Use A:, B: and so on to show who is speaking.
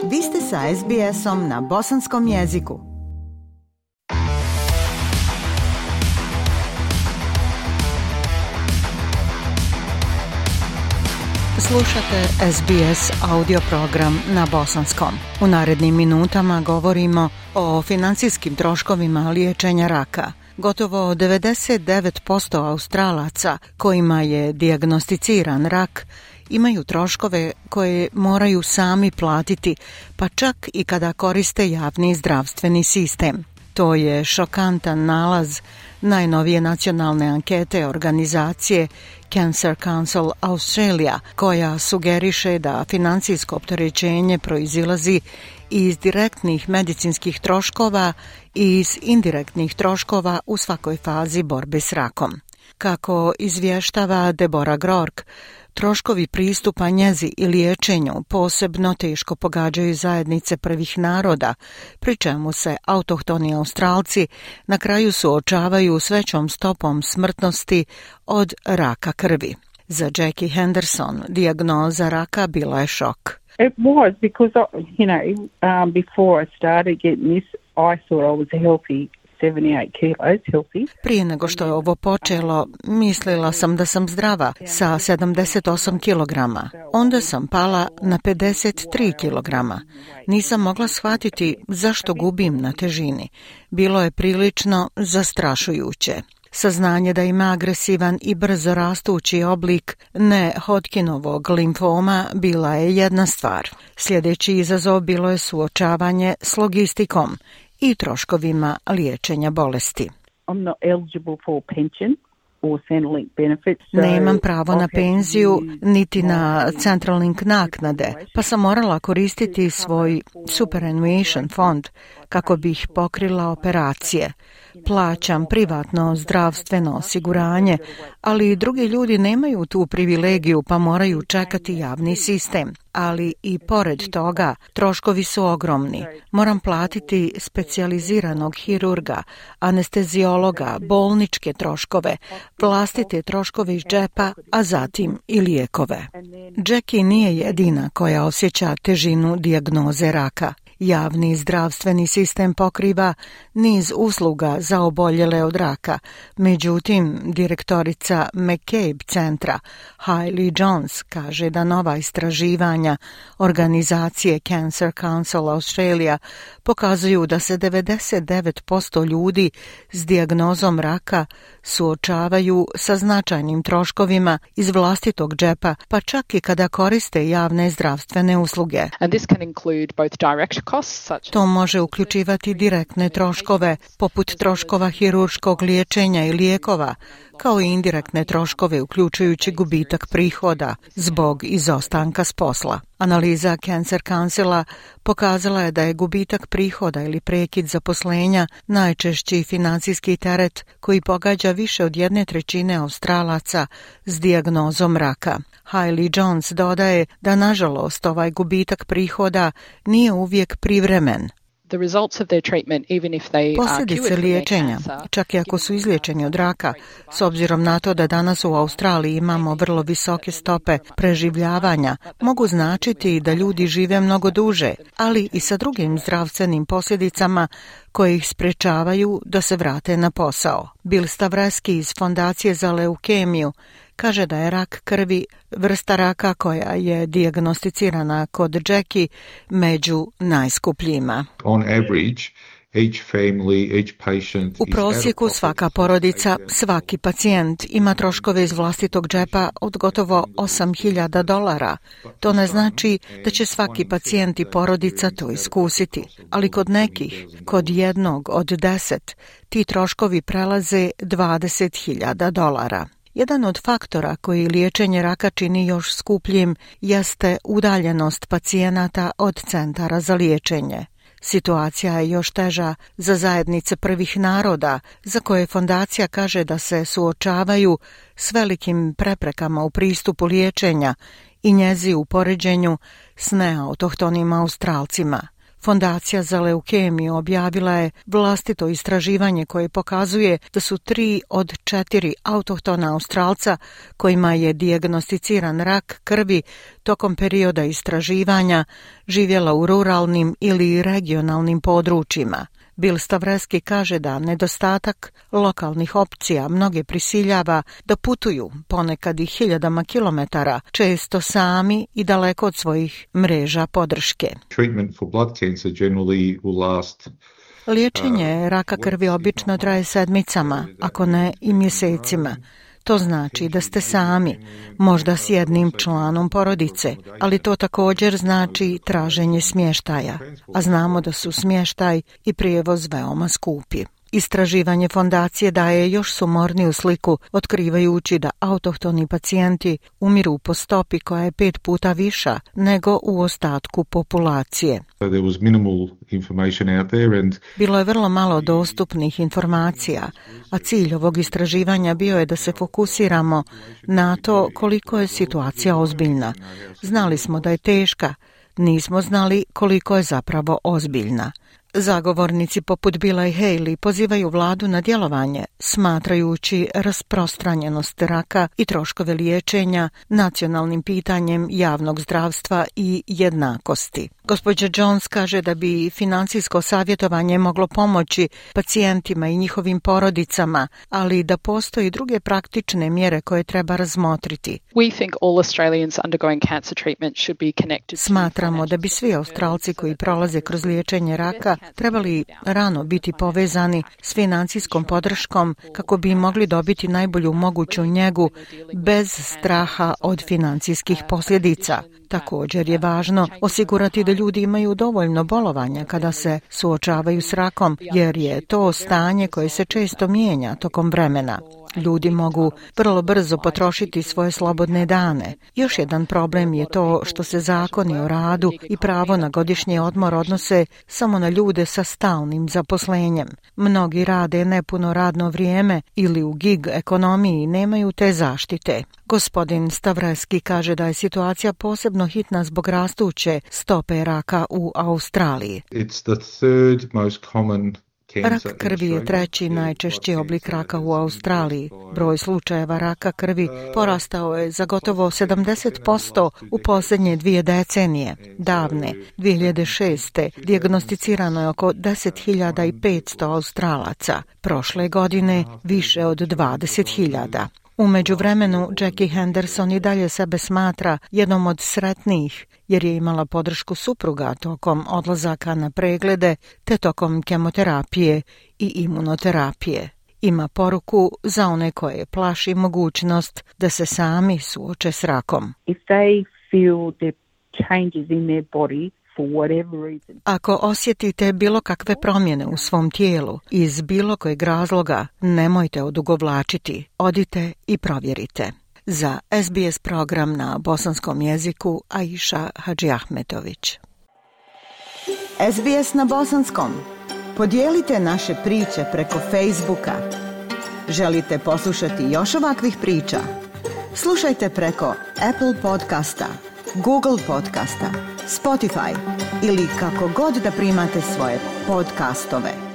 A: Vi ste sa SBS-om na bosanskom jeziku. Slušate SBS audio program na bosanskom. U narednim minutama govorimo o financijskim troškovima liječenja raka. Gotovo 99% Australaca kojima je dijagnosticiran rak imaju troškove koje moraju sami platiti, pa čak i kada koriste javni zdravstveni sistem. To je šokantan nalaz najnovije nacionalne ankete organizacije Cancer Council Australia, koja sugeriše da financijsko opterećenje proizilazi iz direktnih medicinskih troškova i iz indirektnih troškova u svakoj fazi borbe s rakom. Kako izvještava Deborah Groark, troškovi pristupa njezi i liječenju posebno teško pogađaju zajednice prvih naroda, pri čemu se autohtoni Australci na kraju suočavaju s većom stopom smrtnosti od raka krvi. Za Jackie Henderson dijagnoza raka bila je šok.
B: It was because, before I started getting this, I thought I was healthy. 78 kilos, healthy.
A: Prije nego što je ovo počelo, mislila sam da sam zdrava sa 78 kilograma. Onda sam pala na 53 kilograma. Nisam mogla shvatiti zašto gubim na težini. Bilo je prilično zastrašujuće. Saznanje da ima agresivan i brzo rastući oblik ne-Hodgkinovog limfoma bila je jedna stvar. Sljedeći izazov bilo je suočavanje s logistikom i troškovima liječenja bolesti. Nemam pravo na penziju niti na Centrelink naknade, pa sam morala koristiti svoj superannuation fond kako bih pokrila operacije. Plaćam privatno zdravstveno osiguranje, ali i drugi ljudi nemaju tu privilegiju pa moraju čekati javni sistem. Ali i pored toga troškovi su ogromni. Moram platiti specijaliziranog hirurga, anesteziologa, bolničke troškove, vlastite troškove iz džepa, a zatim i lijekove. Jackie nije jedina koja osjeća težinu dijagnoze raka. Javni zdravstveni sistem pokriva niz usluga za oboljele od raka. Međutim, direktorica McCabe centra Hailey Jones kaže da nova istraživanja organizacije Cancer Council Australia pokazuju da se 99% ljudi s dijagnozom raka suočavaju sa značajnim troškovima iz vlastitog džepa, pa čak i kada koriste javne zdravstvene usluge. To može uključivati direktne troškove, poput troškova hirurškog liječenja i lijekova, kao i indirektne troškove uključujući gubitak prihoda zbog izostanka s posla. Analiza Cancer Councila pokazala je da je gubitak prihoda ili prekid zaposlenja najčešći financijski teret koji pogađa više od 1/3 Australaca s dijagnozom raka. Hailey Jones dodaje da nažalost ovaj gubitak prihoda nije uvijek privremen. Posljedice liječenja, čak i ako su izliječeni od raka, s obzirom na to da danas u Australiji imamo vrlo visoke stope preživljavanja, mogu značiti da ljudi žive mnogo duže, ali i sa drugim zdravstvenim posljedicama koje ih sprečavaju da se vrate na posao. Bill Stavreski iz Fondacije za leukemiju kaže da je rak krvi vrsta raka koja je dijagnosticirana kod Jackie među najskupljima. U prosjeku svaka porodica, svaki pacijent ima troškove iz vlastitog džepa od gotovo $8,000. To ne znači da će svaki pacijent i porodica to iskusiti, ali kod nekih, kod jednog od 10, ti troškovi prelaze $20,000. Jedan od faktora koji liječenje raka čini još skupljim jeste udaljenost pacijenata od centara za liječenje. Situacija je još teža za zajednice prvih naroda, za koje fondacija kaže da se suočavaju s velikim preprekama u pristupu liječenja i njezi u poređenju s neautohtonim Australcima. Fondacija za leukemiju objavila je vlastito istraživanje koje pokazuje da su 3 od 4 autohtona Australca kojima je dijagnosticiran rak krvi tokom perioda istraživanja živjela u ruralnim ili regionalnim područjima. Bill Stavreski kaže da nedostatak lokalnih opcija mnoge prisiljava da putuju ponekad i hiljadama kilometara, često sami i daleko od svojih mreža podrške. Liječenje raka krvi obično traje sedmicama, ako ne i mjesecima. To znači da ste sami, možda s jednim članom porodice, ali to također znači traženje smještaja, a znamo da su smještaj i prijevoz veoma skupi. Istraživanje fondacije daje još sumorniju sliku, otkrivajući da autohtoni pacijenti umiru po stopi koja je 5 puta viša nego u ostatku populacije. Bilo je vrlo malo dostupnih informacija, a cilj ovog istraživanja bio je da se fokusiramo na to koliko je situacija ozbiljna. Znali smo da je teška, nismo znali koliko je zapravo ozbiljna. Zagovornici poput Billa i Haley pozivaju vladu na djelovanje, smatrajući rasprostranjenost raka i troškove liječenja nacionalnim pitanjem javnog zdravstva i jednakosti. Gospođa Jones kaže da bi financijsko savjetovanje moglo pomoći pacijentima i njihovim porodicama, ali da postoji druge praktične mjere koje treba razmotriti. Smatramo da bi svi Australci koji prolaze kroz liječenje raka trebali rano biti povezani s financijskom podrškom kako bi mogli dobiti najbolju moguću njegu bez straha od financijskih posljedica. Također je važno osigurati da ljudi imaju dovoljno bolovanja kada se suočavaju s rakom, jer je to stanje koje se često mijenja tokom vremena. Ljudi mogu vrlo brzo potrošiti svoje slobodne dane. Još jedan problem je to što se zakoni o radu i pravo na godišnji odmor odnose samo na ljude sa stalnim zaposlenjem. Mnogi rade nepuno radno vrijeme ili u gig ekonomiji nemaju te zaštite. Gospodin Stavreski kaže da je situacija posebno hitna zbog rastuće stope raka u Australiji. Rak krvi je 3. najčešći oblik raka u Australiji. Broj slučajeva raka krvi porastao je za gotovo 70% u posljednje 2 decenije. Davne 2006. dijagnosticirano je oko 10.500 Australaca. Prošle godine više od 20.000. U međuvremenu Jackie Henderson i dalje sebe smatra jednom od sretnijih jer je imala podršku supruga tokom odlazaka na preglede te tokom kemoterapije i imunoterapije. Ima poruku za one koje plaši mogućnost da se sami suoče s rakom.
B: If they feel the changes in their body,
A: ako osjetite bilo kakve promjene u svom tijelu iz bilo kojeg razloga, nemojte odugovlačiti, odite i provjerite. Za SBS program na bosanskom jeziku Aisha Hadžiahmetović. SBS na bosanskom. Podijelite naše priče preko Facebooka. Želite poslušati još ovakvih priča? Slušajte preko Apple podcasta, Google podcasta, Spotify ili kako god da primate svoje podcastove.